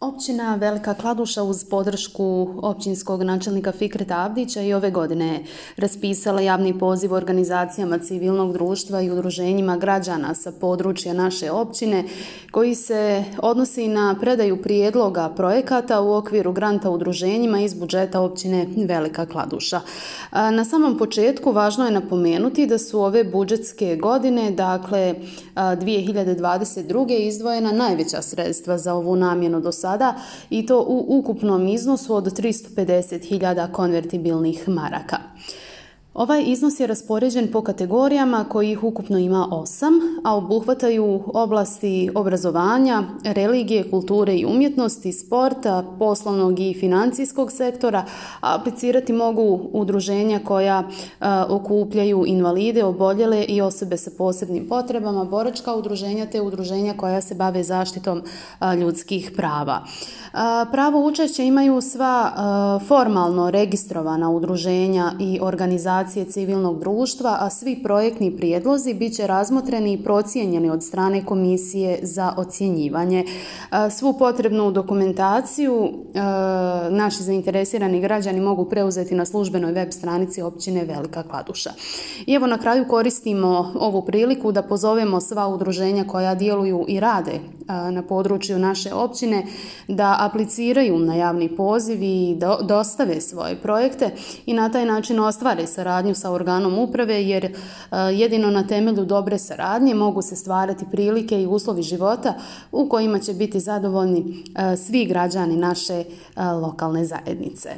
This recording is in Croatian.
Općina Velika Kladuša uz podršku općinskog načelnika Fikreta Avdića i ove godine je raspisala javni poziv organizacijama civilnog društva i udruženjima građana sa područja naše općine koji se odnosi na predaju prijedloga projekata u okviru granta udruženjima iz budžeta općine Velika Kladuša. Na samom početku važno je napomenuti da su ove budžetske godine, dakle 2022. izdvojena najveća sredstva za ovu namjenu do sada i to u ukupnom iznosu od 350.000 konvertibilnih maraka. Ovaj iznos je raspoređen po kategorijama kojih ukupno ima 8, a obuhvataju oblasti obrazovanja, religije, kulture i umjetnosti, sporta, poslovnog i financijskog sektora, a aplicirati mogu udruženja koja okupljaju invalide, oboljele i osobe sa posebnim potrebama, boračka udruženja te udruženja koja se bave zaštitom ljudskih prava. Pravo učešća imaju sva formalno registrovana udruženja i organizacije civilnog društva, a svi projektni prijedlozi bit će razmotreni i procijenjeni od strane Komisije za ocjenjivanje. Svu potrebnu dokumentaciju naši zainteresirani građani mogu preuzeti na službenoj web stranici općine Velika Kladuša. I evo na kraju koristimo ovu priliku da pozovemo sva udruženja koja djeluju i rade na području naše općine da apliciraju na javni poziv i dostave svoje projekte i na taj način ostvare saradnju sa organom uprave, jer jedino na temelju dobre saradnje mogu se stvarati prilike i uslovi života u kojima će biti zadovoljni svi građani naše lokalne zajednice.